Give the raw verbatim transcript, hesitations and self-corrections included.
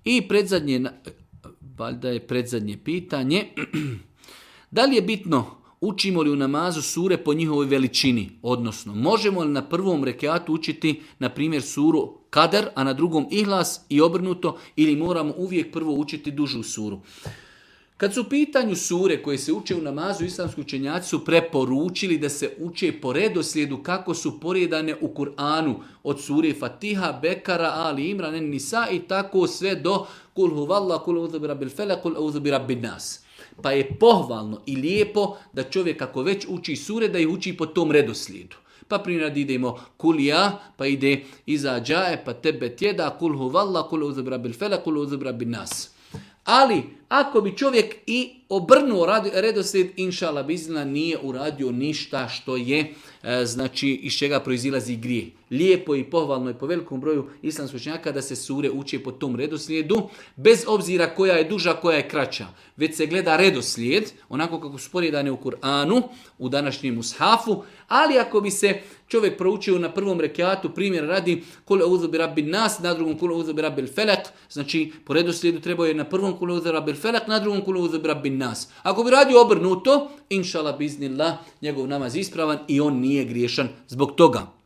I predzadnje, valjda je predzadnje pitanje, da li je bitno učimo li u namazu sure po njihovoj veličini, odnosno možemo li na prvom rekatu učiti, na primjer, suru Kader, a na drugom Ihlas i obrnuto, ili moramo uvijek prvo učiti dužu suru. Kad su u pitanju sure koje se uče u namazu, islamski učenjaci su preporučili da se uče po redoslijedu kako su poredane u Kur'anu, od sure Fatiha, Bekara, Ali Imran, Nisa i tako sve do Kul huvallah, kul auzu bi rabbil felak, kul auzu bi rabbin nas. Pa je pohvalno i lijepo da čovjek ako već uči sure, da ih uči po tom redoslijedu. Pa primjer idemo kulija, pa ide iza džaje, pa tebe tjeda, kul huvallah, kul auzu bi rabbil felak, kul auzu bi rabbin nas. Ali, ako bi čovjek i obrnuo redoslijed, inšala bizna, nije uradio ništa što je, e, znači, iz čega proizilazi grije. Lijepo i pohvalno je po velikom broju islamskih učenjaka da se sure uče po tom redoslijedu, bez obzira koja je duža, koja je kraća. Već se gleda redoslijed, onako kako su poredane u Kur'anu, u današnjem mushafu, ali ako bi se čovjek proučio na prvom rekatu, primjer radi kul auzu bi rabbin nas, na drugom kul auzu bi rabbil felak, znači po redoslijedu trebao je na prvom kul auzu bi rabbil felak, na drugom kul auzu bi rabbin nas. Ako bi radio obrnuto, inšala biznillah, njegov namaz ispravan i on nije griješan zbog toga.